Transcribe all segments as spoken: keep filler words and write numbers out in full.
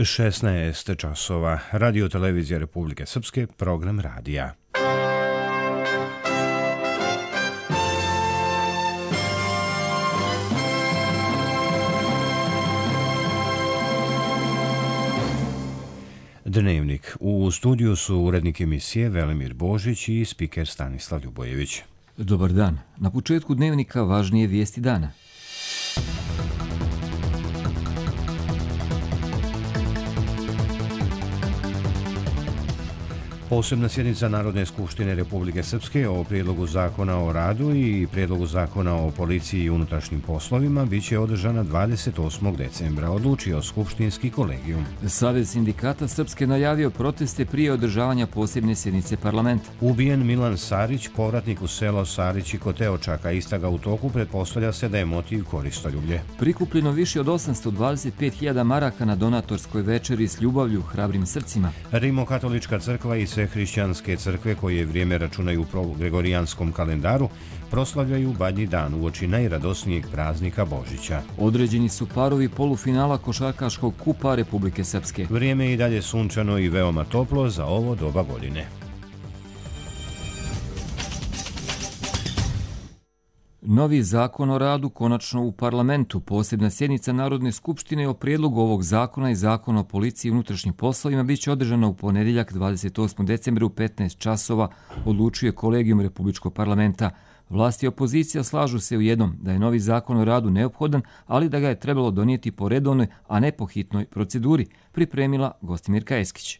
šesnaest časova. Radio Televizija Republike Srpske, program radija. Dnevnik. U studiju su urednik emisije Velimir Božić i spiker Stanislav Ljubojević. Dobar dan. Na početku dnevnika važnije vijesti dana. Posebna sjednica Narodne skupštine Republike Srpske o prijedlogu zakona o radu i prijedlogu zakona o policiji i unutrašnjim poslovima biće održana dvadeset osmog decembra, odlučio skupštinski kolegijum. Savez sindikata Srpske najavio proteste prije održavanja posebne sjednice parlamenta. Ubijen Milan Sarić, povratnik u selo Sarić i Koteočaka, istraga u toku, pretpostavlja se da je motiv koristoljublje. Prikupljeno više od osamsto dvadeset pet hiljada maraka na donatorskoj večeri s ljubavlju, hrabrim srcima. Rimokatolička crkva i sve hrišćanske crkve koje vrijeme računaju po gregorijanskom kalendaru proslavljaju Badnji dan uoči najradosnijeg praznika Božića. Određeni su parovi polufinala košarkaškog kupa Republike Srpske. Vrijeme je i dalje sunčano i veoma toplo za ovo doba godine. Novi zakon o radu konačno u parlamentu. Posebna sjednica Narodne skupštine o prijedlogu ovog zakona i zakona o policiji i unutrašnjim poslovima biće održana u ponedjeljak dvadeset osmog decembra u petnaest časova, odlučuje kolegijum Republičkog parlamenta. Vlasti i opozicija slažu se u jednom da je novi zakon o radu neophodan, ali da ga je trebalo donijeti po redovnoj, a ne po hitnoj proceduri, pripremila Gostimirka Eskić.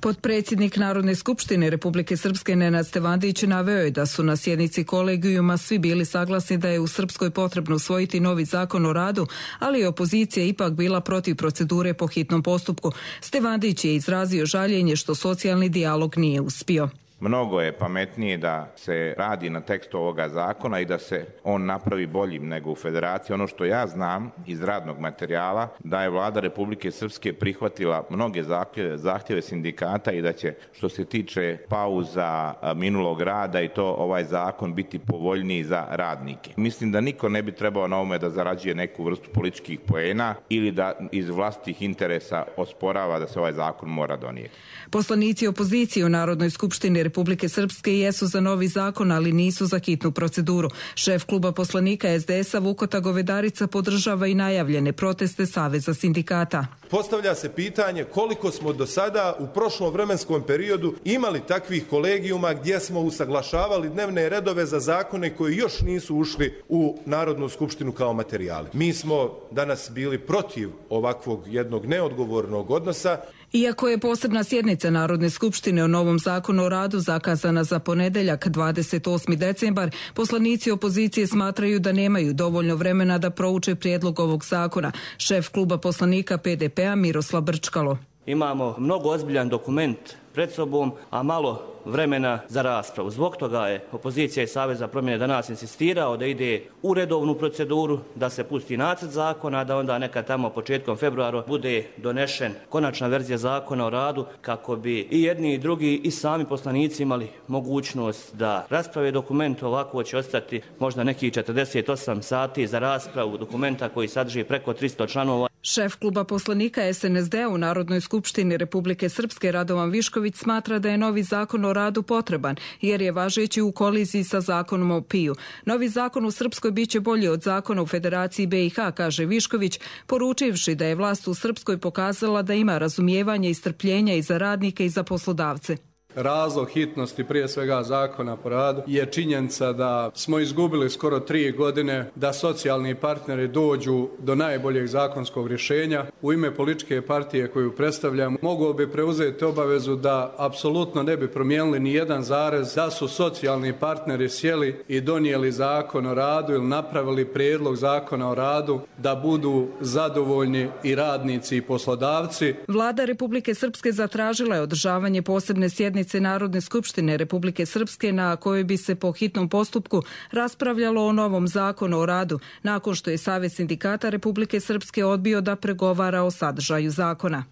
Potpredsjednik Narodne skupštine Republike Srpske Nenad Stevandić naveo je da su na sjednici kolegijuma svi bili saglasni da je u Srpskoj potrebno usvojiti novi zakon o radu, ali je opozicija ipak bila protiv procedure po hitnom postupku. Stevandić je izrazio žaljenje što socijalni dijalog nije uspio. Mnogo je pametnije da se radi na tekstu ovoga zakona i da se on napravi boljim nego u Federaciji. Ono što ja znam iz radnog materijala, da je Vlada Republike Srpske prihvatila mnoge zahtjeve, zahtjeve sindikata i da će, što se tiče pauza minulog rada i to, ovaj zakon biti povoljniji za radnike. Mislim da niko ne bi trebao na ovome da zarađuje neku vrstu političkih poena ili da iz vlastitih interesa osporava da se ovaj zakon mora donijeti. Poslanici opozicije u Narodnoj skupštini Republike Srpske jesu za novi zakon, ali nisu za hitnu proceduru. Šef kluba poslanika es de es a Vukota Govedarica podržava i najavljene proteste Saveza sindikata. Postavlja se pitanje koliko smo do sada u prošlom vremenskom periodu imali takvih kolegijuma gdje smo usaglašavali dnevne redove za zakone koji još nisu ušli u Narodnu skupštinu kao materijali. Mi smo danas bili protiv ovakvog jednog neodgovornog odnosa. Iako je posebna sjednica Narodne skupštine o novom zakonu o radu zakazana za ponedjeljak dvadeset osmi decembar, poslanici opozicije smatraju da nemaju dovoljno vremena da prouče prijedlog ovog zakona. Šef kluba poslanika pe de pe a Miroslav Brčkalo. Imamo mnogo ozbiljan dokument pred sobom, a malo vremena za raspravu. Zbog toga je opozicija i Savez za promjene danas insistirao da ide u redovnu proceduru, da se pusti nacrt zakona, da onda neka tamo početkom februara bude donešen konačna verzija zakona o radu, kako bi i jedni i drugi i sami poslanici imali mogućnost da rasprave dokument. Ovako će ostati možda nekih četrdeset osam sati za raspravu dokumenta koji sadrži preko tristo članova. Šef kluba poslanika es en es de a u Narodnoj skupštini Republike Srpske Radovan Višković smatra da je novi zakon o radu potreban, jer je važeći u koliziji sa zakonom o piju. Novi zakon u Srpskoj biće bolji od zakona u Federaciji be i ha, kaže Višković, poručivši da je vlast u Srpskoj pokazala da ima razumijevanje i strpljenja i za radnike i za poslodavce. Razlog hitnosti prije svega zakona po radu je činjenica da smo izgubili skoro tri godine da socijalni partneri dođu do najboljeg zakonskog rješenja. U ime političke partije koju predstavljam mogao bi preuzeti obavezu da apsolutno ne bi promijenili ni jedan zarez, da su socijalni partneri sjeli i donijeli zakon o radu ili napravili prijedlog zakona o radu da budu zadovoljni i radnici i poslodavci. Vlada Republike Srpske zatražila je održavanje posebne sjednice Narodne skupštine Republike Srpske na kojoj bi se po hitnom postupku raspravljalo o novom zakonu o radu, nakon što je Savez sindikata Republike Srpske odbio da pregovara o sadržaju zakona.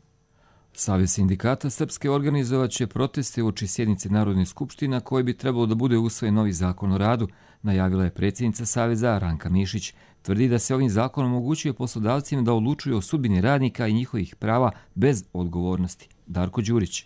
Savez sindikata Srpske organizovat će proteste uoči sjednice Narodne skupštine na kojoj bi trebalo da bude usvojen novi zakon o radu, najavila je predsjednica Saveza Ranka Mišić. Tvrdi da se ovim zakonom omogućuje poslodavcima da odlučuju o sudbini radnika i njihovih prava bez odgovornosti. Darko Đurić.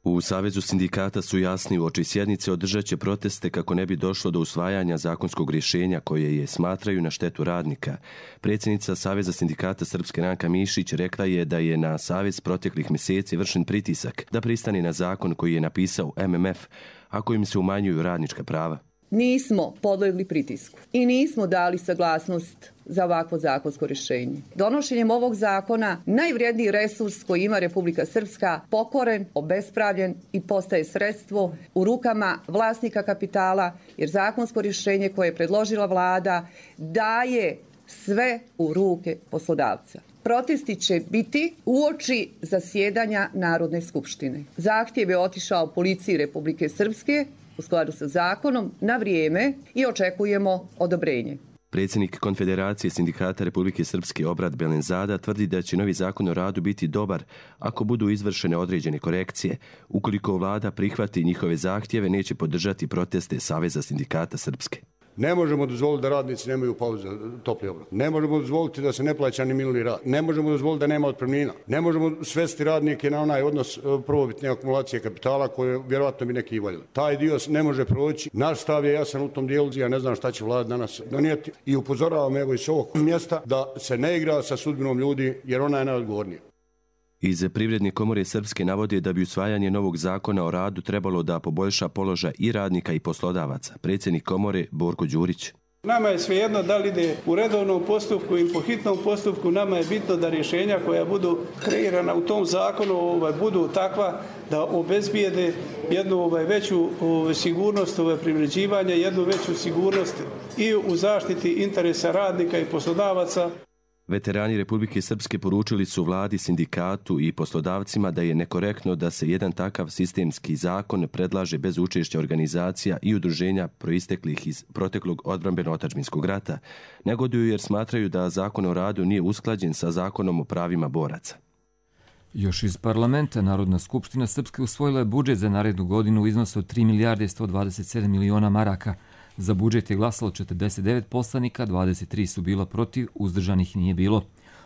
U Savezu sindikata su jasni uoči sjednice održat će proteste kako ne bi došlo do usvajanja zakonskog rješenja koje je smatraju na štetu radnika. Predsjednica Saveza sindikata Srpske Ranka Mišić rekla je da je na Savez proteklih mjeseci vršen pritisak da pristane na zakon koji je napisao M M F, a kojim se umanjuju radnička prava. Nismo podlegli pritisku i nismo dali saglasnost za ovakvo zakonsko rješenje. Donošenjem ovog zakona najvrijedniji resurs koji ima Republika Srpska pokoren, obespravljen i postaje sredstvo u rukama vlasnika kapitala, jer zakonsko rješenje koje je predložila vlada daje sve u ruke poslodavca. Protesti će biti uoči zasjedanja Narodne skupštine. Zahtjev je otišao policiji Republike Srpske u skladu sa zakonom na vrijeme i očekujemo odobrenje. Predsjednik Konfederacije sindikata Republike Srpske Obrat Belenzada tvrdi da će novi zakon o radu biti dobar ako budu izvršene određene korekcije. Ukoliko vlada prihvati njihove zahtjeve, neće podržati proteste Saveza sindikata Srpske. Ne možemo dozvoliti da radnici nemaju pauze topli obrok. Ne možemo dozvoliti da se ne plaća ni minuli rad. Ne možemo dozvoliti da nema otpremnina. Ne možemo svesti radnike na onaj odnos prvobitne akumulacije kapitala koje vjerojatno bi neki i voljeli. Taj dio ne može proći. Naš stav je jasan u tom dijelu. Ja ne znam šta će vlada danas donijeti i upozoravam evo iz ovog mjesta da se ne igra sa sudbinom ljudi jer ona je najodgovornija. Iz Privredne komore Srpske navode da bi usvajanje novog zakona o radu trebalo da poboljša položaj i radnika i poslodavaca. Predsjednik komore Borko Đurić. Nama je svejedno da li ide u redovnom postupku ili po hitnom postupku, nama je bitno da rješenja koja budu kreirana u tom zakonu ovaj, budu takva da obezbijede jednu ovaj, veću ovaj, sigurnost ovaj, privređivanja, jednu veću sigurnost i u zaštiti interesa radnika i poslodavaca. Veterani Republike Srpske poručili su vladi, sindikatu i poslodavcima da je nekorektno da se jedan takav sistemski zakon predlaže bez učešća organizacija i udruženja proisteklih iz proteklog odbrambeno-otadžbinskog rata. Negoduju jer smatraju da zakon o radu nije usklađen sa zakonom o pravima boraca. Još iz parlamenta Narodna skupština Srpske usvojila je budžet za narednu godinu u iznosu od tri milijarde sto dvadeset sedam miliona maraka. Za budžet je glasalo četrdeset devet poslanika, dvadeset tri su bila protiv, uzdržanih nije bilo.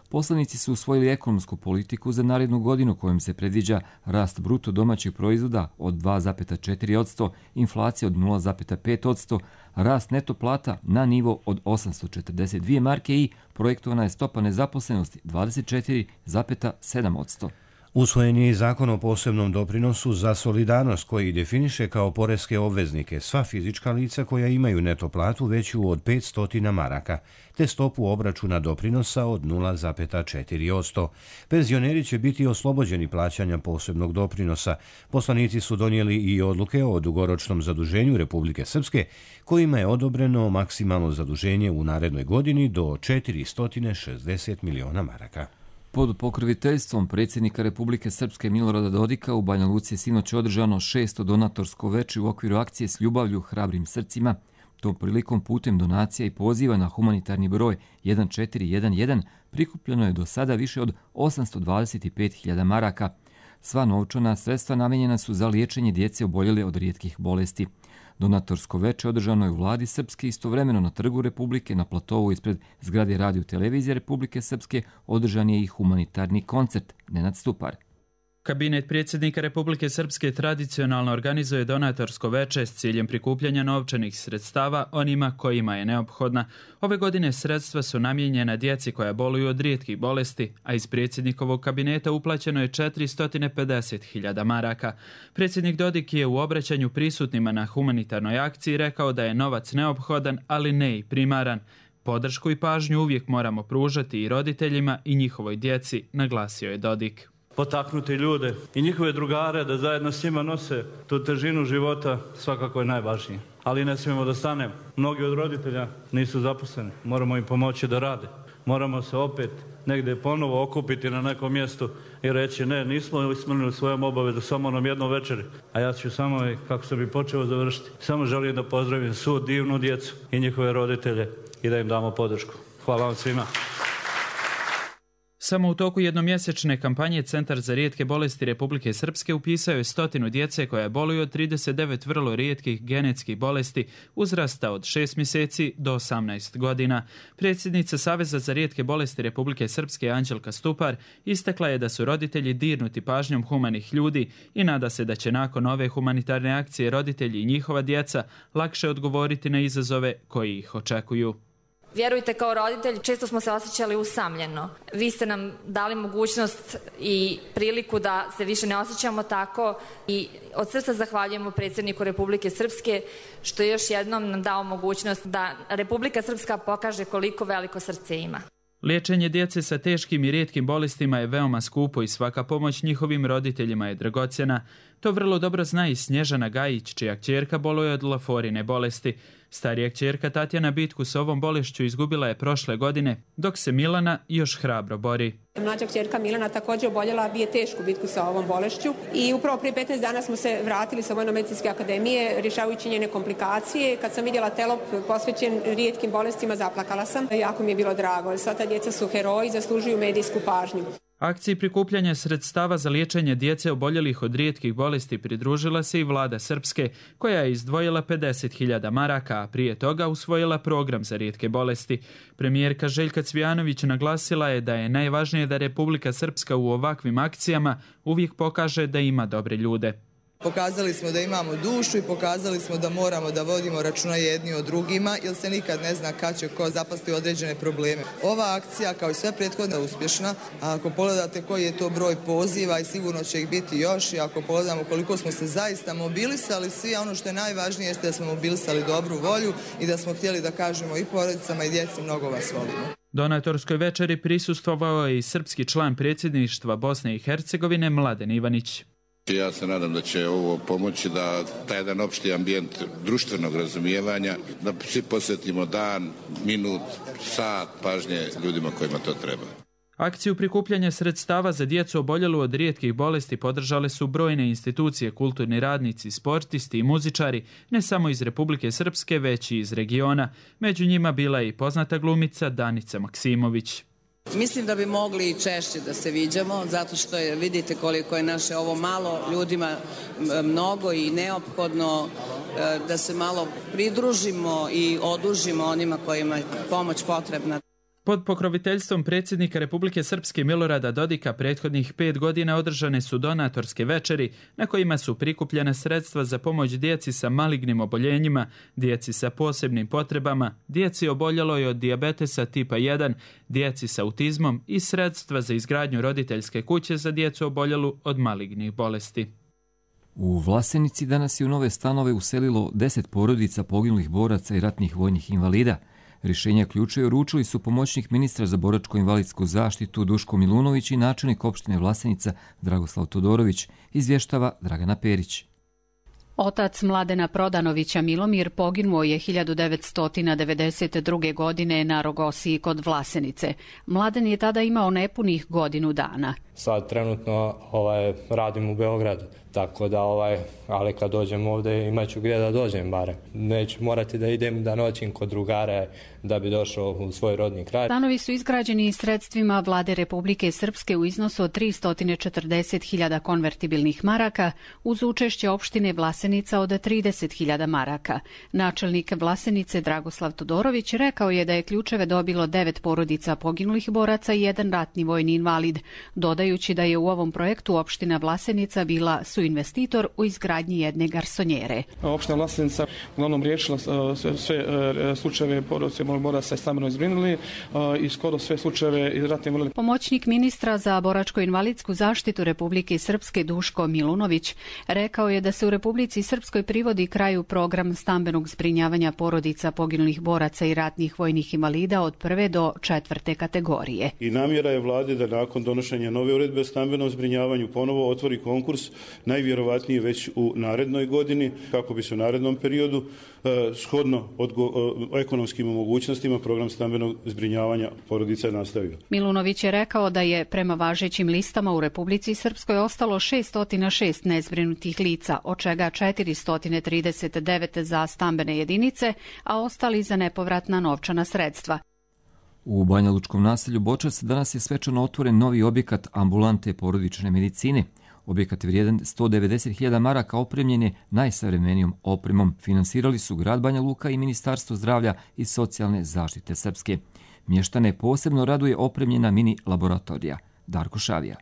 Poslanici su usvojili ekonomsku politiku za narednu godinu kojom se predviđa rast bruto domaćeg proizvoda od dva zarez četiri posto, inflacija od nula zarez pet posto, rast neto plata na nivo od osamsto četrdeset dvije marke i projektovana je stopa nezaposlenosti dvadeset četiri zarez sedam posto. Usvojen je i zakon o posebnom doprinosu za solidarnost koji definiše kao poreske obveznike sva fizička lica koja imaju neto platu veću od petsto maraka, te stopu obračuna doprinosa od nula zarez četiri posto. Penzioneri će biti oslobođeni plaćanja posebnog doprinosa. Poslanici su donijeli i odluke o dugoročnom zaduženju Republike Srpske, kojima je odobreno maksimalno zaduženje u narednoj godini do četiristo šezdeset miliona maraka. Pod pokroviteljstvom predsjednika Republike Srpske Milorada Dodika u Banja Luci je sinoć održano šesto donatorsko veče u okviru akcije S ljubavlju hrabrim srcima. Tom prilikom putem donacija i poziva na humanitarni broj jedan četiri jedan jedan prikupljeno je do sada više od osamsto dvadeset pet hiljada maraka. Sva novčana sredstva namijenjena su za liječenje djece oboljele od rijetkih bolesti. Donatorsko veče održano je u vladi Srpske, istovremeno na Trgu Republike, na platovu ispred zgrade Radio televizije Republike Srpske održan je i humanitarni koncert. Nenad Stupar. Kabinet predsjednika Republike Srpske tradicionalno organizuje donatorsko veče s ciljem prikupljanja novčanih sredstava onima kojima je neophodna. Ove godine sredstva su namijenjena djeci koja boluju od rijetkih bolesti, a iz predsjednikovog kabineta uplaćeno je četiristo pedeset hiljada maraka. Predsjednik Dodik je u obraćanju prisutnima na humanitarnoj akciji rekao da je novac neophodan, ali ne i primaran. Podršku i pažnju uvijek moramo pružati i roditeljima i njihovoj djeci, naglasio je Dodik. Potaknuti ljude i njihove drugare da zajedno s njima nose tu težinu života svakako je najvažnije. Ali ne smijemo da stanemo. Mnogi od roditelja nisu zaposleni. Moramo im pomoći da rade. Moramo se opet negdje ponovo okupiti na nekom mjestu i reći ne, nismo ispunili svojom obavezu samo nam jednom večeri. A ja ću samo, kako sam i počeo završiti, samo želim da pozdravim svu divnu djecu i njihove roditelje i da im damo podršku. Hvala vam svima. Samo u toku jednomjesečne kampanje Centar za rijetke bolesti Republike Srpske upisao je stotinu djece koja boluju od trideset devet vrlo rijetkih genetskih bolesti uzrasta od šest mjeseci do osamnaest godina. Predsjednica Saveza za rijetke bolesti Republike Srpske Anđelka Stupar istakla je da su roditelji dirnuti pažnjom humanih ljudi i nada se da će nakon ove humanitarne akcije roditelji i njihova djeca lakše odgovoriti na izazove koji ih očekuju. Vjerujte, kao roditelj često smo se osjećali usamljeno. Vi ste nam dali mogućnost i priliku da se više ne osjećamo tako i od srca zahvaljujemo predsjedniku Republike Srpske što je još jednom nam dao mogućnost da Republika Srpska pokaže koliko veliko srce ima. Liječenje djece sa teškim i rijetkim bolestima je veoma skupo i svaka pomoć njihovim roditeljima je dragocjena. To vrlo dobro zna i Snježana Gajić, čija kćerka boluje od laforine bolesti. Starija kćerka Tatjana bitku s ovom bolešću izgubila je prošle godine, dok se Milana još hrabro bori. Mlađa kćerka Milana također oboljela, bije tešku bitku sa ovom bolešću i upravo prije petnaest dana smo se vratili sa Vojno-medicinske akademije rješavajući njene komplikacije. Kad sam vidjela telop posvećen rijetkim bolestima, zaplakala sam. Jako mi je bilo drago. Sva ta djeca su heroji, zaslužuju medijsku pažnju. Akciji prikupljanja sredstava za liječenje djece oboljelih od rijetkih bolesti pridružila se i vlada Srpske, koja je izdvojila pedeset hiljada maraka, a prije toga usvojila program za rijetke bolesti. Premijerka Željka Cvijanović naglasila je da je najvažnije da Republika Srpska u ovakvim akcijama uvijek pokaže da ima dobre ljude. Pokazali smo da imamo dušu i pokazali smo da moramo da vodimo računa jedni o drugima, jer se nikad ne zna kad će ko zapasti određene probleme. Ova akcija, kao i sve prethodne, je uspješna. A ako pogledate koji je to broj poziva i sigurno će ih biti još, i ako pogledamo koliko smo se zaista mobilisali, svi, ono što je najvažnije jeste da smo mobilisali dobru volju i da smo htjeli da kažemo i porodicama i djeci mnogo vas volimo. Donatorskoj večeri prisustvovao je i srpski član predsjedništva Bosne i Hercegovine Mladen Ivanić. Ja se nadam da će ovo pomoći da taj jedan opšti ambijent društvenog razumijevanja, da svi posvetimo dan, minut, sat pažnje ljudima kojima to treba. Akciju prikupljanja sredstava za djecu oboljelu od rijetkih bolesti podržale su brojne institucije, kulturni radnici, sportisti i muzičari, ne samo iz Republike Srpske, već i iz regiona. Među njima bila je i poznata glumica Danica Maksimović. Mislim da bi mogli i češće da se viđamo, zato što je, vidite koliko je naše ovo malo ljudima mnogo i neophodno da se malo pridružimo i odužimo onima kojima je pomoć potrebna. Pod pokroviteljstvom predsjednika Republike Srpske Milorada Dodika prethodnih pet godina održane su donatorske večeri na kojima su prikupljena sredstva za pomoć djeci sa malignim oboljenjima, djeci sa posebnim potrebama, djeci oboljeloj od dijabetesa tipa jedan, djeci sa autizmom i sredstva za izgradnju roditeljske kuće za djecu oboljelu od malignih bolesti. U Vlasenici danas je u nove stanove uselilo deset porodica poginulih boraca i ratnih vojnih invalida. Rješenja ključeve uručili su pomoćnik ministra za boračko-invalidsku zaštitu Duško Milunović i načelnik opštine Vlasenica Dragoslav Todorović, izvještava Dragana Perić. Otac Mladena Prodanovića Milomir poginuo je hiljadu devetsto devedeset druge. godine na Rogosiji kod Vlasenice. Mladen je tada imao nepunih godinu dana. Sad trenutno ovaj, radim u Beogradu, tako da, ovaj, ali kad dođem ovdje imat ću gdje da dođem barem. Neću morati da idem da noćim kod drugare da bi došao u svoj rodni kraj. Stanovi su izgrađeni sredstvima Vlade Republike Srpske u iznosu od tristo četrdeset hiljada konvertibilnih maraka uz učešće opštine Vlasenica od trideset hiljada maraka. Načelnik Vlasenice Dragoslav Todorović rekao je da je ključeve dobilo devet porodica poginulih boraca i jedan ratni vojni invalid, dodajući da je u ovom projektu opština Vlasenica bila suinvestitor u izgradnji jedne garsonjere. Opština Vlasenica uglavnom riješila sve, sve slučajeve porodice boraca i stambeno izbrinuli i skoro sve slučajeve ratne invalide. Pomoćnik ministra za boračko-invalidsku zaštitu Republike Srpske Duško Milunović rekao je da se u Republici Srpskoj privodi kraju program stambenog zbrinjavanja porodica poginulih boraca i ratnih vojnih invalida od prve do četvrte kategorije. I namjera je vlade da nakon donošenja nove uredbe o stambenom zbrinjavanju ponovo otvori konkurs, najvjerovatnije već u narednoj godini, kako bi se u narednom periodu eh, shodno odgo, eh, ekonomskim mogućnostima program stambenog zbrinjavanja porodica nastavio. Milunović je rekao da je prema važećim listama u Republici Srpskoj ostalo šesto šest nezbrinutih lica, od čega četiristo trideset devet za stambene jedinice, a ostali za nepovratna novčana sredstva. U banjalučkom naselju Bočac danas je svečano otvoren novi objekat ambulante porodične medicine. Objekat je vrijedan sto devedeset hiljada maraka, opremljen je najsavremenijom opremom. Finansirali su grad Banja Luka i Ministarstvo zdravlja i socijalne zaštite Srpske. Mještane posebno raduje opremljena mini laboratorija. Darko Šavija.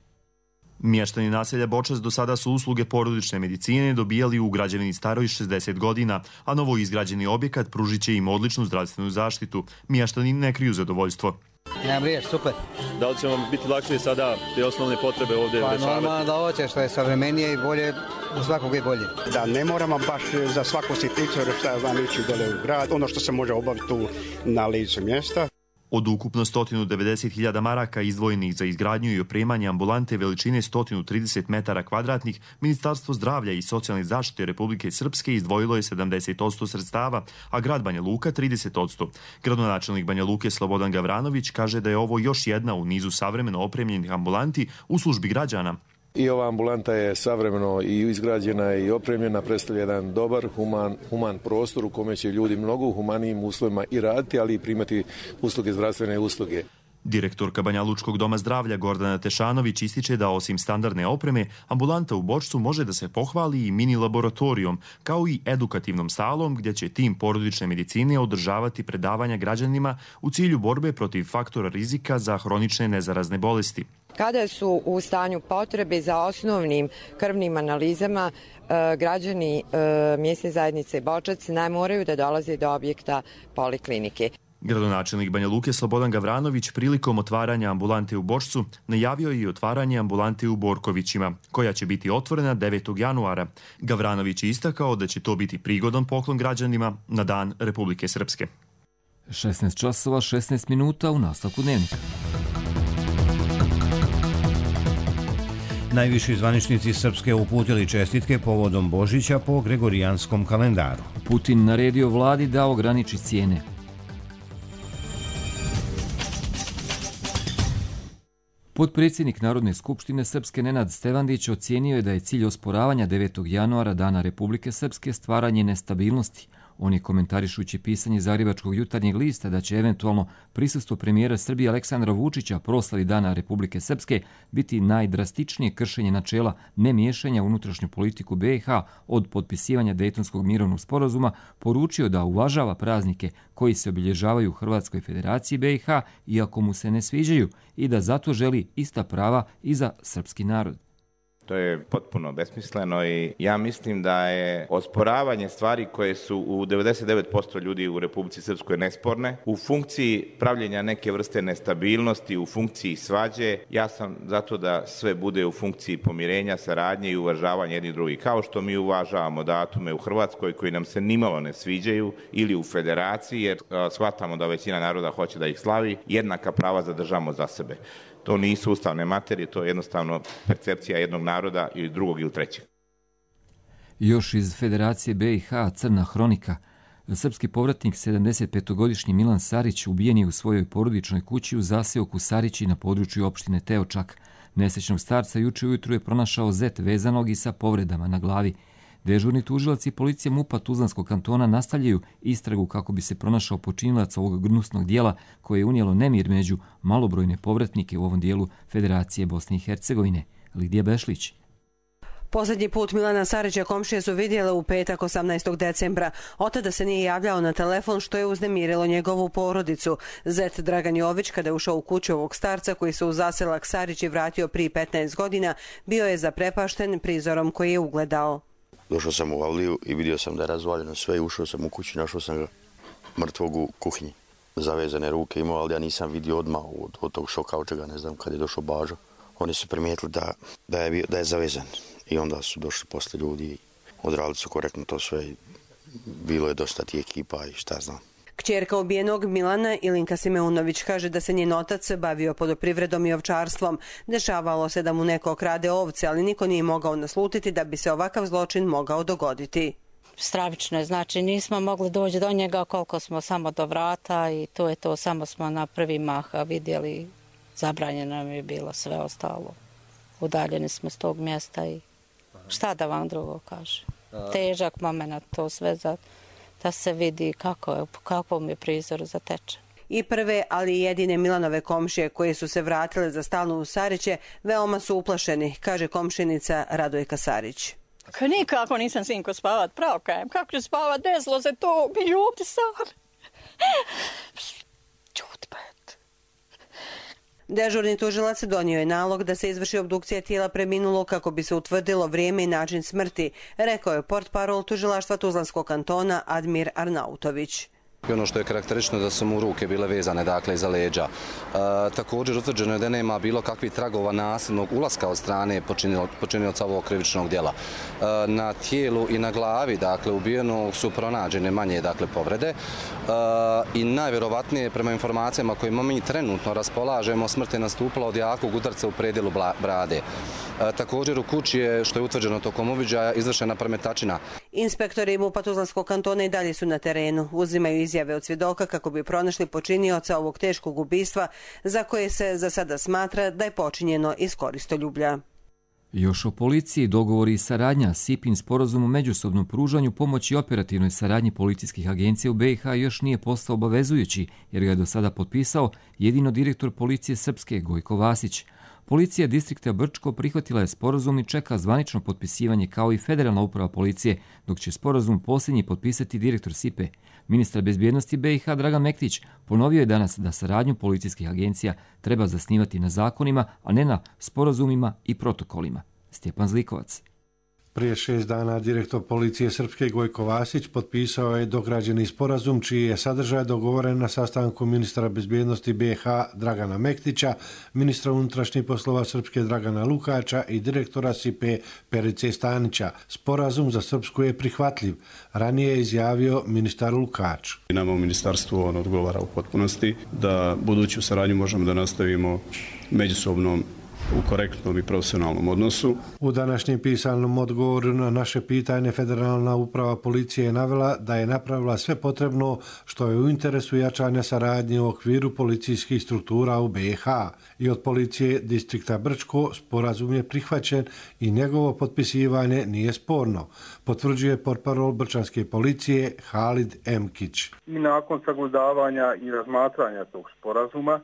Mještani naselja Bočac do sada su usluge porodične medicine dobijali u građevini staroj šezdeset godina, a novo izgrađeni objekat pružit će im odličnu zdravstvenu zaštitu. Mještani ne kriju zadovoljstvo. Ja briješ, super. Da li će vam biti lakše sada te osnovne potrebe ovdje pa, rešavati? Pa normalno da hoće, što je savremenije i bolje, u svakog je bolje. Da ne moramo baš za svaku sitnicu, šta ja znam, ići dole u grad, ono što se može obaviti tu na licu mjesta. Od ukupno sto devedeset hiljada maraka izdvojenih za izgradnju i opremanje ambulante veličine sto trideset metara kvadratnih, Ministarstvo zdravlja i socijalne zaštite Republike Srpske izdvojilo je sedamdeset posto sredstava, a grad Banja Luka trideset posto. Gradonačelnik Banja Luke Slobodan Gavranović kaže da je ovo još jedna u nizu savremeno opremljenih ambulanti u službi građana. I ova ambulanta je savremeno i izgrađena i opremljena, predstavlja jedan dobar, human, human prostor u kome će ljudi mnogo u humanijim uslovima i raditi, ali i primati usluge, zdravstvene usluge. Direktorka Banjalučkog doma zdravlja Gordana Tešanović ističe da osim standardne opreme, ambulanta u Bočcu može da se pohvali i mini laboratorijom, kao i edukativnom salom gdje će tim porodične medicine održavati predavanja građanima u cilju borbe protiv faktora rizika za hronične nezarazne bolesti. Kada su u stanju potrebe za osnovnim krvnim analizama, građani mjesne zajednice Bočac ne moraju da dolaze do objekta poliklinike. Gradonačelnik Banja Luke Slobodan Gavranović prilikom otvaranja ambulante u Bočcu najavio je i otvaranje ambulante u Borkovićima, koja će biti otvorena devetog januara. Gavranović je istakao da će to biti prigodan poklon građanima na Dan Republike Srpske. šesnaest časova šesnaest minuta u nastavku dnevnika. Najviši zvaničnici Srpske uputili čestitke povodom Božića po gregorijanskom kalendaru. Putin naredio vladi da ograniči cijene. Potpredsjednik Narodne skupštine Srpske Nenad Stevandić ocijenio je da je cilj osporavanja devetog januara Dana Republike Srpske stvaranje nestabilnosti. On je komentarišući pisanje Zagrebačkog jutarnjeg lista da će eventualno prisustvo premijera Srbije Aleksandra Vučića proslavi Dana Republike Srpske biti najdrastičnije kršenje načela nemiješanja u unutrašnju politiku B i H od potpisivanja Dejtonskog mirovnog sporazuma, poručio da uvažava praznike koji se obilježavaju u Hrvatskoj federaciji B i H iako mu se ne sviđaju i da zato želi ista prava i za srpski narod. To je potpuno besmisleno i ja mislim da je osporavanje stvari koje su u devedeset devet posto ljudi u Republici Srpskoj nesporne, u funkciji pravljenja neke vrste nestabilnosti, u funkciji svađe. Ja sam zato da sve bude u funkciji pomirenja, saradnje i uvažavanja jednih drugih. Kao što mi uvažavamo datume u Hrvatskoj koji nam se nimalo ne sviđaju ili u federaciji jer shvatamo da većina naroda hoće da ih slavi, jednaka prava zadržamo za sebe. To nisu ustavne materije, to je jednostavno percepcija jednog naroda ili drugog ili trećeg. Još iz Federacije B i H crna hronika. Srpski povratnik sedamdesetpetogodišnji Milan Sarić ubijen je u svojoj porodičnoj kući u zaseoku Sarići na području opštine Teočak. Nesrećnog starca juče ujutru je pronašao zet vezanog i sa povredama na glavi. Dežurni tužilac i policija MUP-a Tuzlanskog kantona nastavljaju istragu kako bi se pronašao počinilac ovog gnusnog dijela koje je unijelo nemir među malobrojne povratnike u ovom dijelu Federacije Bosne i Hercegovine. Lidija Bešlić. Posljednji put Milana Sarića komšije su vidjele u petak osamnaestog decembra. Od tada se nije javljao na telefon što je uznemirilo njegovu porodicu. Zet Dragan Jović, kada je ušao u kuću ovog starca koji se u zaselak Sarići vratio prije petnaest godina, bio je zaprepašten prizorom koji je ugledao. Došao sam u avliju i vidio sam da je razvaljeno sve i ušao sam u kuću, našao sam ga mrtvog u kuhinji. Zavezane ruke imao, ali ja nisam vidio odmah od, od tog šoka, od čega ne znam kad je došao Bažo. Oni su primijetili da, da, je, da je zavezan i onda su došli posle ljudi i odradili su korektno to sve. Bilo je dosta ti ekipa i šta znam. Kćerka ubijenog Milana Ilinka Simeunović kaže da se njen otac bavio poljoprivredom i ovčarstvom. Dešavalo se da mu neko krade ovce, ali niko nije mogao naslutiti da bi se ovakav zločin mogao dogoditi. Stravično je, znači nismo mogli doći do njega koliko smo samo do vrata i to je to, samo smo na prvi mah vidjeli, zabranjeno nam je bilo sve ostalo. Udaljeni smo s tog mjesta i šta da vam drugo kaže. Težak moment to sve za... da se vidi kako je, kakvom je prizoru zatečen. I prve, ali i jedine Milanove komšije koje su se vratile za stalno u Sariće veoma su uplašeni, kaže komšinica Radojka Sarić. Nikako nisam sinko spavat, pravo kajem. Kako ću spavat, desilo se to, mi ljudi sad. Čut pet. Dežurni tužilac donio je nalog da se izvrši obdukcija tijela preminulog kako bi se utvrdilo vrijeme i način smrti, rekao je portparol tužilaštva Tuzlanskog kantona Admir Arnautović. I ono što je karakteristično da su mu ruke bile vezane, dakle, iza leđa. E, također utvrđeno je da nema bilo kakvih tragova nasilnog ulaska od strane počinioca ovog krivičnog djela. E, na tijelu i na glavi, dakle, ubijenog su pronađene manje, dakle, povrede. E, I najvjerovatnije, prema informacijama kojima mi trenutno raspolažemo, smrt je nastupila od jakog udarca u predjelu brade. E, također u kući je, što je utvrđeno tokom uviđaja, izvršena premetačina. Inspektori MUP-a Tuzlanskog kantona i dalje su na terenu, uzimaju izjave od svjedoka kako bi pronašli počinioca ovog teškog ubistva za koje se za sada smatra da je počinjeno iz koristoljublja. Još o policiji, dogovori i saradnja, S I P-in sporazum o međusobnom pružanju pomoći i operativnoj saradnji policijskih agencija u B i H još nije postao obavezujući, jer ga je do sada potpisao jedino direktor policije Srpske Gojko Vasić. Policija distrikta Brčko prihvatila je sporazum i čeka zvanično potpisivanje kao i federalna uprava policije, dok će sporazum posljednji potpisati direktor S I P-e. Ministar bezbjednosti B i H Dragan Mektić ponovio je danas da saradnju policijskih agencija treba zasnivati na zakonima, a ne na sporazumima i protokolima. Stjepan Zlikovac. Prije šest dana direktor policije Srpske Gojko Vasić potpisao je dograđeni sporazum čiji je sadržaj dogovoren na sastanku ministra bezbjednosti B i H Dragana Mektića, ministra unutrašnjih poslova Srpske Dragana Lukača i direktora S I P-e Perice Stanića. Sporazum za Srpsku je prihvatljiv, ranije je izjavio ministar Lukač. Nama u ministarstvu on odgovara u potpunosti da buduću saradnju možemo da nastavimo međusobno u korektnom i profesionalnom odnosu. U današnjem pisanom odgovoru na naše pitanje Federalna uprava policije je navela da je napravila sve potrebno što je u interesu jačanja saradnje u okviru policijskih struktura u B i H. I od policije distrikta Brčko sporazum je prihvaćen i njegovo potpisivanje nije sporno, potvrđuje portparol brčanske policije Halid Emkić. I nakon sagledavanja i razmatranja tog sporazuma,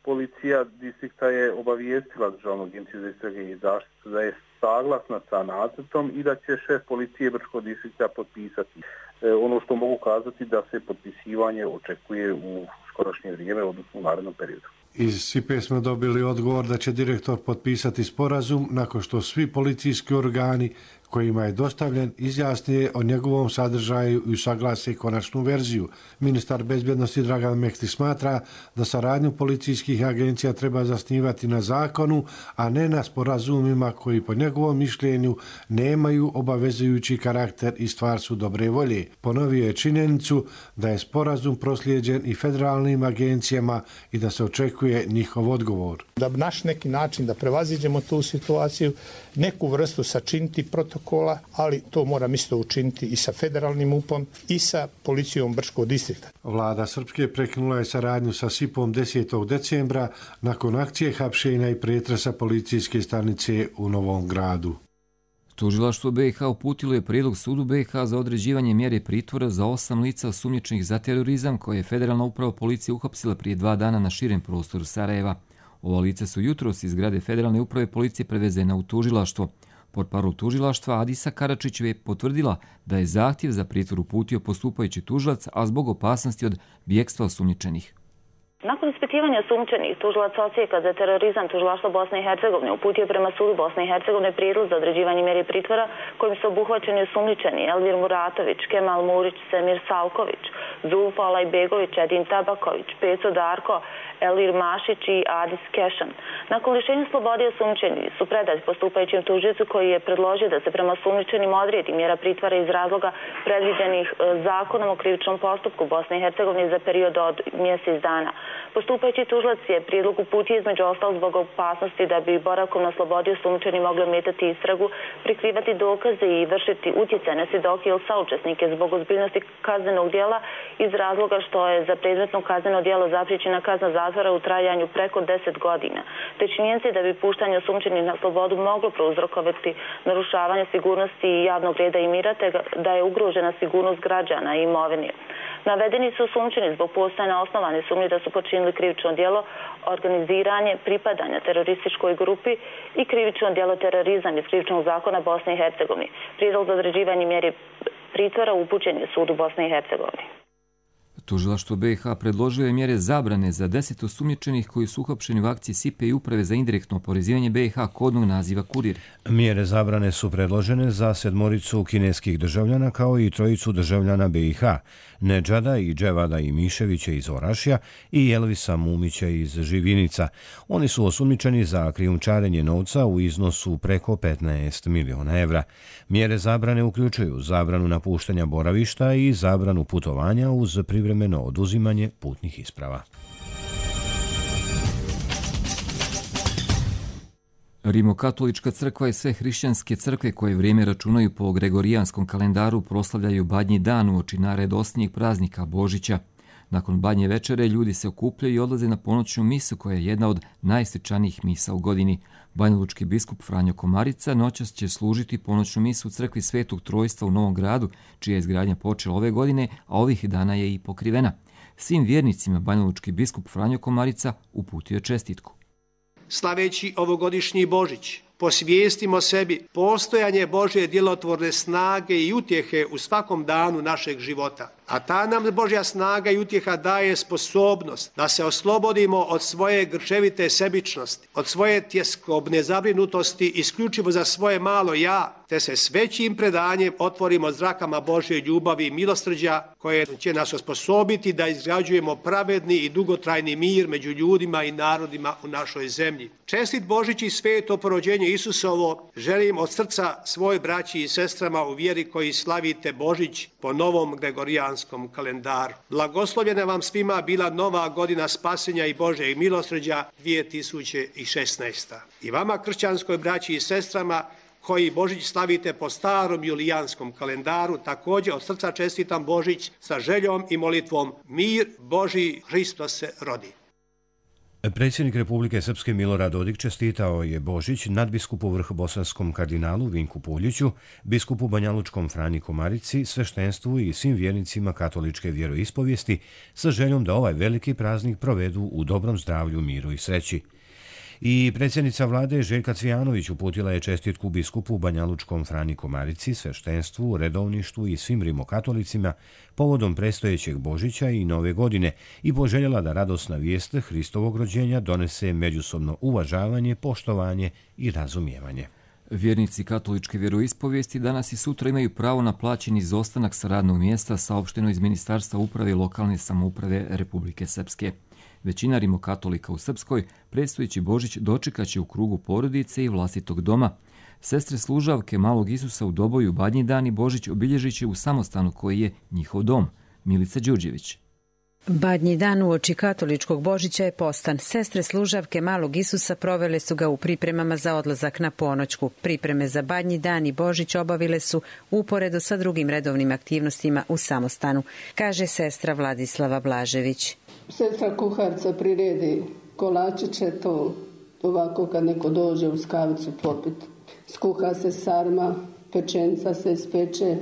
policija distrikta je obavijestila Državnu agenciju za istrage i zaštitu da je saglasna sa nacrtom i da će šef policije Brčkog distrikta potpisati. E, ono što mogu kazati da se potpisivanje očekuje u skorošnje vrijeme, odnosno u narednom periodu. Iz S I P-e smo dobili odgovor da će direktor potpisati sporazum nakon što svi policijski organi kojima je dostavljen izjasnije o njegovom sadržaju i usaglase konačnu verziju. Ministar bezbjednosti Dragan Mektić smatra da saradnju policijskih agencija treba zasnivati na zakonu, a ne na sporazumima koji po njegovom mišljenju nemaju obavezujući karakter i stvar su dobre volje. Ponovio je činjenicu da je sporazum proslijeđen i federalnim agencijama i da se očekuje njihov odgovor. Da naš neki način da prevaziđemo tu situaciju, neku vrstu sačiniti protokola, ali to moram isto učiniti i sa federalnim U P-om i sa policijom Brčkog distrikta. Vlada Srpske prekinula je saradnju sa S I P-om desetog decembra nakon akcije hapšenja i pretresa policijske stanice u Novom Gradu. Tužilaštvo B i H uputilo je prijedlog sudu B i H za određivanje mjere pritvora za osam lica osumnjičenih za terorizam koje je Federalna uprava policije uhapsila prije dva dana na širem prostoru Sarajeva. Ova lica su jutros iz zgrade Federalne uprave policije prevezena u tužilaštvo. Portparol tužilaštva Adisa Karačić je potvrdila da je zahtjev za pritvor uputio postupajući tužilac, a zbog opasnosti od bijegstva osumnjičenih. Nakon ispitivanja sumnjičenih, tužilac Odsjeka za terorizam tužilaštva Bosne i Hercegovine uputio prema sudu Bosne i Hercegovine prijedlog za određivanje mjere pritvora kojim su obuhvaćeni osumnjičeni Elvir Muratović, Kemal Murić, Semir Salković, Zulfa Alajbegović, Edin Tabaković, Peco Darko, Elir Mašić i Adis Kešan. Nakon lišenja slobode osumnjičeni su predati postupajućem tužiocu koji je predložio da se prema osumnjičenim odredi mjera pritvora iz razloga predviđenih zakonom o krivičnom postupku Bosne i Hercegovine za period od mjesec dana. Postupajući tužilac je prijedlog uputio između ostalog zbog opasnosti da bi boravkom na slobodi osumnjičeni mogli ometati istragu, prikrivati dokaze i vršiti utjecaj na svjedoke ili saučesnike zbog ozbiljnosti kaznenog djela iz razloga što je za predmetno kazneno djelo zapriječena kazna zatvora u trajanju preko deset godina. Te činjenice da bi puštanje osumnjičenih na slobodu moglo prouzrokovati narušavanje sigurnosti javnog reda i mira, te da je ugrožena sigurnost građana i imovine. Navedeni su osumnjičeni zbog postojanja osnovane sumnje da su počinili krivično djelo organiziranje pripadanja terorističkoj grupi i krivično djelo terorizam iz krivičnog zakona Bosne i Hercegovine. Prijedlog za određivanje mjeri pritvora upućen je sudu Bosne i Hercegovine. Tužilaštvo B i H predložio je mjere zabrane za deset osumnjičenih koji su uhapšeni u akciji S I P E i Uprave za indirektno oporezivanje B i H kodnog naziva Kurir. Mjere zabrane su predložene za sedmoricu kineskih državljana kao i trojicu državljana B i H, Nedžada i Dževada i Miševića iz Orašja i Elvisa Mumića iz Živinica. Oni su osumnjičeni za krijumčarenje novca u iznosu preko petnaest miliona evra. Mjere zabrane uključuju zabranu napuštanja boravišta i zabranu putovanja uz privremeno oduzimanje putnih isprava. Rimokatolička crkva i sve hrišćanske crkve koje vrijeme računaju po gregorijanskom kalendaru proslavljaju Badnji dan uoči najradosnijeg praznika Božića. Nakon Badnje večere ljudi se okupljaju i odlaze na ponoćnu misu koja je jedna od najsvečanijih misa u godini. Banjalučki biskup Franjo Komarica noćas će služiti ponoćnu misu u crkvi Svetog Trojstva u Novom Gradu, čija je izgradnja počela ove godine, a ovih dana je i pokrivena. Svim vjernicima banjalučki biskup Franjo Komarica uputio je čestitku. Slaveći ovogodišnji Božić, posvijestimo sebi postojanje Božje djelotvorne snage i utjehe u svakom danu našeg života. A ta nam Božja snaga i utjeha daje sposobnost da se oslobodimo od svoje grčevite sebičnosti, od svoje tjeskobne zabrinutosti isključivo za svoje malo ja, te se s većim predanjem otvorimo zrakama Božje ljubavi i milosrđa koje će nas osposobiti da izgrađujemo pravedni i dugotrajni mir među ljudima i narodima u našoj zemlji. Čestit Božić i sveto porođenje Isusovo želim od srca svoj braći i sestrama u vjeri koji slavite Božić po novom gregorijanskom kalendaru. Blagoslovljena vam svima bila nova godina spasenja i Božjeg milosrđa dvije tisuće šesnaesta. I vama kršćanskoj braći i sestrama koji Božić slavite po starom julijanskom kalendaru, također od srca čestitam Božić sa željom i molitvom mir Božji Hristos se rodi. Predsjednik Republike Srpske Milorad Dodik čestitao je Božić nadbiskupu vrhbosanskom kardinalu Vinku Puljiću, biskupu banjalučkom Franji Komarici, sveštenstvu i svim vjernicima katoličke vjeroispovijesti sa željom da ovaj veliki praznik provedu u dobrom zdravlju, miru i sreći. I predsjednica vlade Željka Cvijanović uputila je čestitku biskupu banjalučkom Franji Komarici, sveštenstvu, redovništvu i svim rimokatolicima povodom predstojećeg Božića i Nove godine i poželjela da radosna vijest Hristovog rođenja donese međusobno uvažavanje, poštovanje i razumijevanje. Vjernici katoličke vjeroispovijesti danas i sutra imaju pravo na plaćeni izostanak sa radnog mjesta, saopšteno iz Ministarstva uprave i lokalne samouprave Republike Srpske. Većina rimokatolika u Srpskoj predstojeći Božić dočekaće u krugu porodice i vlastitog doma. Sestre služavke Malog Isusa u Doboju Badnji dan i Božić obilježit će u samostanu koji je njihov dom. Milica Đurđević. Badnji dan uoči katoličkog Božića je postan. Sestre služavke Malog Isusa provele su ga u pripremama za odlazak na ponoćku. Pripreme za Badnji dan i Božić obavile su uporedo sa drugim redovnim aktivnostima u samostanu, kaže sestra Vladislava Blažević. Sestra kuharca priredi kolačiće, to ovako kad neko dođe uz kavicu popit. Skuha se sarma, pečenca se ispeče,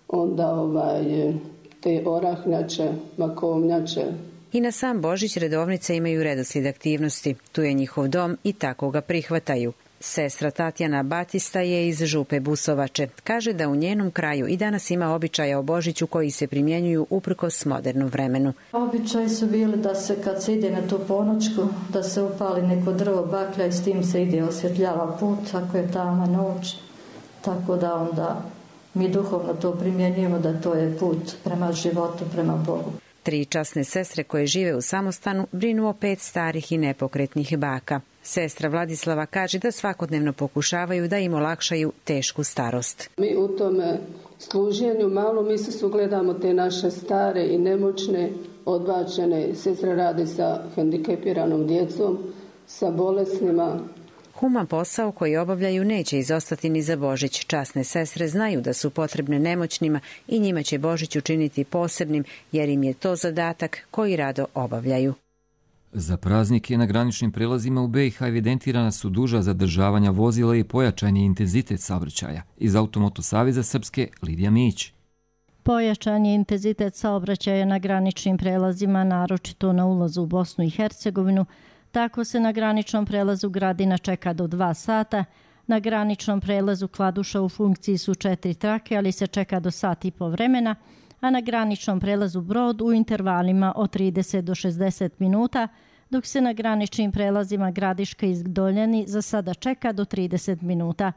onda ovaj, te orahnjače, makovnjače. I na sam Božić redovnice imaju redoslijed aktivnosti. Tu je njihov dom i tako ga prihvataju. Sestra Tatjana Batista je iz Župe Busovače. Kaže da u njenom kraju i danas ima običaja o Božiću koji se primjenjuju uprkos modernom vremenu. Običaji su bili da se kad se ide na tu ponoćku, da se upali neko drvo baklja i s tim se ide osvjetljava put ako je tama noć. Tako da onda mi duhovno to primjenjujemo da to je put prema životu, prema Bogu. Tri časne sestre koje žive u samostanu brinu o pet starih i nepokretnih baka. Sestra Vladislava kaže da svakodnevno pokušavaju da im olakšaju tešku starost. Mi u tome služenju malo mi se sugledamo te naše stare i nemoćne, odbačene. Sestra radi sa hendikepiranom djecom, sa bolesnima. Human posao koji obavljaju neće izostati ni za Božić. Časne sestre znaju da su potrebne nemoćnima i njima će Božić učiniti posebnim jer im je to zadatak koji rado obavljaju. Za praznike na graničnim prelazima u B i H evidentirana su duža zadržavanja vozila i pojačani intenzitet saobraćaja. Iz Automoto Saveza Srpske Lidija Mić. Pojačan je intenzitet saobraćaja na graničnim prelazima, naročito na ulazu u Bosnu i Hercegovinu. Tako se na graničnom prelazu Gradina čeka do dva sata. Na graničnom prelazu Kladuša u funkciji su četiri trake, ali se čeka do sat i po vremena, a na graničnom prelazu Brod u intervalima od trideset do šezdeset minuta, dok se na graničnim prelazima Gradiška i Doljani za sada čeka do trideset minuta.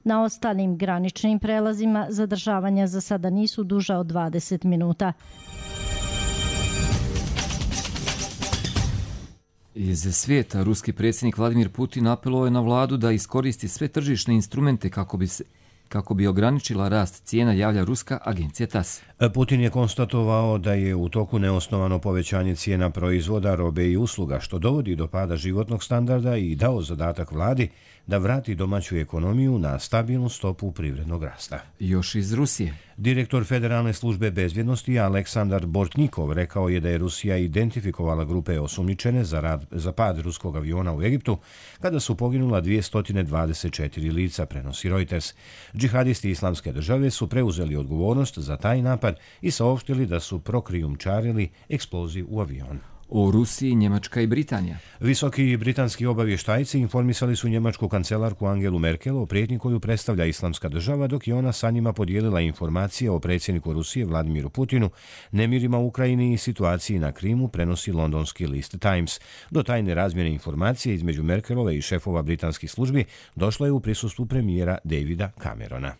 Na ostalim graničnim prelazima zadržavanja za sada nisu duža od dvadeset minuta. Iz svijeta, ruski predsjednik Vladimir Putin apelovao je na vladu da iskoristi sve tržišne instrumente kako bi se kako bi ograničila rast cijena, javlja ruska agencija TASS. Putin je konstatovao da je u toku neosnovano povećanje cijena proizvoda, robe i usluga, što dovodi do pada životnog standarda, i dao zadatak vladi da vrati domaću ekonomiju na stabilnu stopu privrednog rasta. Još iz Rusije. Direktor Federalne službe bezbjednosti Aleksandar Bortnikov rekao je da je Rusija identifikovala grupe osumnjičene za, rad, za pad ruskog aviona u Egiptu, kada su poginula dvjesto dvadeset četiri lica, prenosi Reuters. Džihadisti Islamske države su preuzeli odgovornost za taj napad i saopštili da su prokrijumčarili eksploziv u avion. O Rusiji, Njemačka i Britanija. Visoki britanski obavještajci informisali su njemačku kancelarku Angelu Merkel o prijetnji koju predstavlja Islamska država, dok je ona sa njima podijelila informacije o predsjedniku Rusije Vladimiru Putinu, nemirima u Ukrajini i situaciji na Krimu, prenosi londonski list Times. Do tajne razmjene informacije između Merkelove i šefova britanskih službi došlo je u prisustvu premijera Davida Camerona.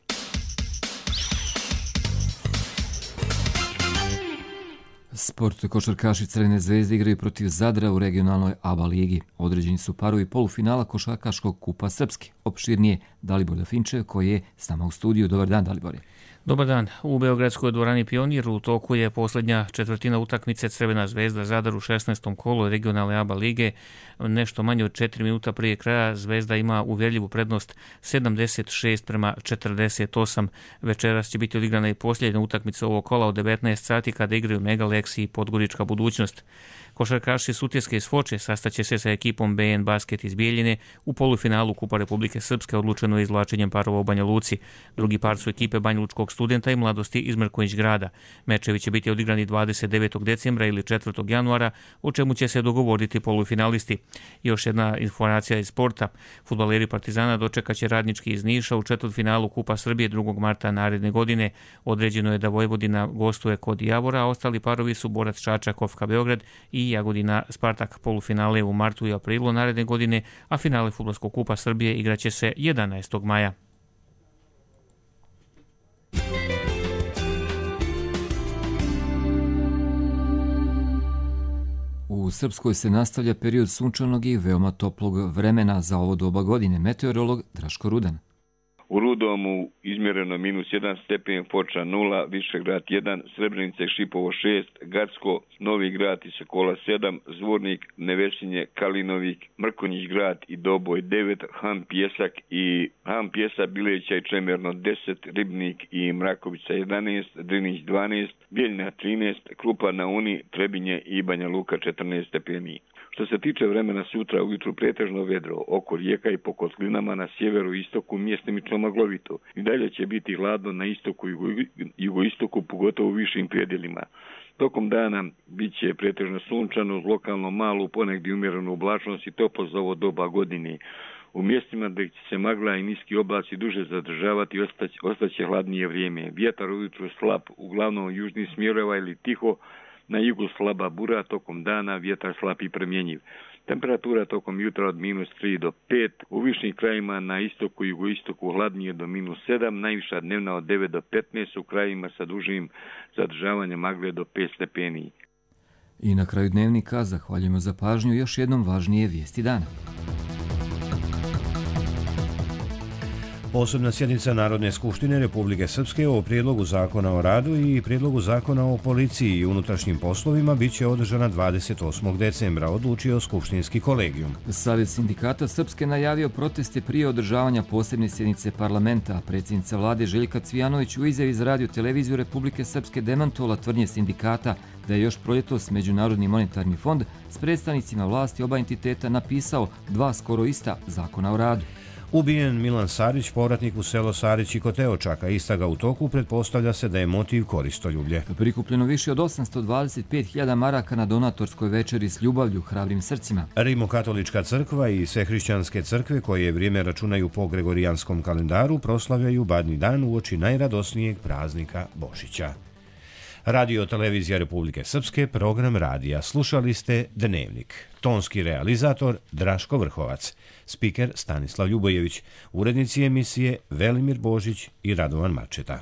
Sport, košarkaši Crvene zvezde igraju protiv Zadra u regionalnoj A B A ligi. Određeni su parovi polufinala košarkaškog kupa Srpske. Opširnije Dalibor Dafinčev koji je s nama u studiju. Dobar dan, Dalibore. Dobar dan. U beogradskoj dvorani Pionir u toku je posljednja četvrtina utakmice Crvena zvezda Zadar u šesnaestom kolu regionalne A B A lige. Nešto manje od četiri minuta prije kraja Zvezda ima uvjerljivu prednost sedamdeset šest prema četrdeset osam. Večeras će biti odigrana i posljednja utakmica ovog kola od devetnaest sati kada igraju Megalex i Podgorička budućnost. Košarkaši Sutjeske iz Foče sastaće se sa ekipom B N Basket iz Bijeljine u polufinalu Kupa Republike Srpske, odlučeno je izvlačenjem parova u Banja Luci. Drugi par su ekipe Banjalučkog studenta i Mladosti iz Mrkonjić grada. Mečevi će biti odigrani dvadeset devetog decembra ili četvrtog januara, o čemu će se dogovoriti polufinalisti. Još jedna informacija iz sporta. Fudbaleri Partizana dočekaće Radnički iz Niša u četvrtfinalu Kupa Srbije drugog marta naredne godine. Određeno je da Vojvodina gostuje kod Javora, a ostali parovi su Borac Čačak, Ofka Beograd i Jagodina Spartak. Polufinale u martu i aprilu naredne godine, a finale Fudbalskog kupa Srbije igraće se jedanaestog maja. U Srpskoj se nastavlja period sunčanog i veoma toplog vremena za ovo doba godine. Meteorolog Draško Rudan. U Rudomu izmjereno minus jedan stepen, Foča nula, Višegrad jedan, Srebrenica i Šipovo šest, Gacko, Novi Grad i Sokola sedam, Zvornik, Nevesinje, Kalinovik, Mrkonjić grad i Doboj devet, Han Pjesak i Han Pjesa, Bileća i Čemerno deset, Ribnik i Mrakovica jedanaest, Drinić dvanaest, Bijeljina trinaest, Krupa na Uni, Trebinje i Banja Luka četrnaest stepeni. Što se tiče vremena sutra, ujutru pretežno vedro, oko rijeka i po kotlinama na sjeveru i istoku mjestimično maglovito. I dalje će biti hladno na istoku i jugoistoku, pogotovo u višim predjelima. Tokom dana bit će pretežno sunčano, uz lokalno malu, ponegdje umjerenu oblačnost i toplo za ovo doba godine. U mjestima gdje će se magla i niski oblaci duže zadržavati, ostaće, ostaće hladnije vrijeme. Vjetar ujutru slab, uglavnom južnih smjerova ili tiho, na jugu slaba bura, tokom dana vjetar slab i promjenjiv. Temperatura tokom jutra od minus tri do pet, u višim krajima na istoku i jugoistoku hladnije do minus sedam, najviša dnevna od devet do petnaest, u krajima sa dužim zadržavanjem magle do pet stepeni. I na kraju dnevnika zahvaljujemo za pažnju, još jednom važnije vijesti dana. Posebna sjednica Narodne skupštine Republike Srpske o prijedlogu zakona o radu i prijedlogu zakona o policiji i unutrašnjim poslovima bit će održana dvadeset osmog decembra, odlučio skupštinski kolegijum. Savjet sindikata Srpske najavio proteste prije održavanja posebne sjednice parlamenta. Predsjednica vlade Željka Cvijanović u izjavi za radio televiziju Republike Srpske demantovala tvrdnje sindikata da je još proljetos Međunarodni monetarni fond s predstavnicima vlasti oba entiteta napisao dva skoro ista zakona o radu. Ubijen Milan Sarić, povratnik u selo Sarić i Koteočaka. Istraga u toku, pretpostavlja se da je motiv koristoljublje. Prikupljeno više od osamsto dvadeset pet hiljada maraka na donatorskoj večeri s ljubavlju hrabrim srcima. Rimokatolička crkva i sve hrišćanske crkve, koje vrijeme računaju po gregorijanskom kalendaru, proslavljaju Badnji dan uoči najradosnijeg praznika Božića. Radio televizija Republike Srpske, program radija. Slušali ste Dnevnik. Tonski realizator Draško Vrhovac. Spiker Stanislav Ljubojević. Urednici emisije Velimir Božić i Radovan Mačeta.